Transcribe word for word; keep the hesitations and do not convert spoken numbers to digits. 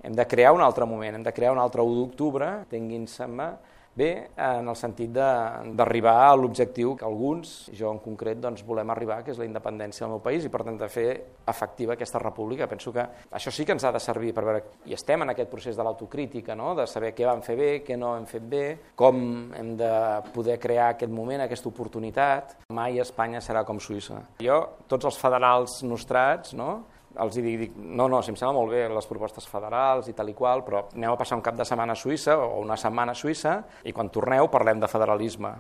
Hem de crear un altre moment, hem de crear un altre u d'octubre, tinguin-se-me bé, en el sentit d'arribar a l'objectiu que alguns, jo en concret, doncs, volem arribar, que és la independència del meu país, i per tant de fer efectiva aquesta república. Penso que això sí que ens ha de servir per veure, i estem en aquest procés de l'autocrítica, no? De saber què vam fer bé, què no hem fet bé, com hem de poder crear aquest moment, aquesta oportunitat. Mai Espanya serà com Suïssa. Jo, tots els federals nostrats, no? els dic, dic, no, no, si em sembla molt bé les propostes federals i tal i qual, però aneu a passar un cap de setmana a Suïssa o una setmana a Suïssa i quan torneu parlem de federalisme.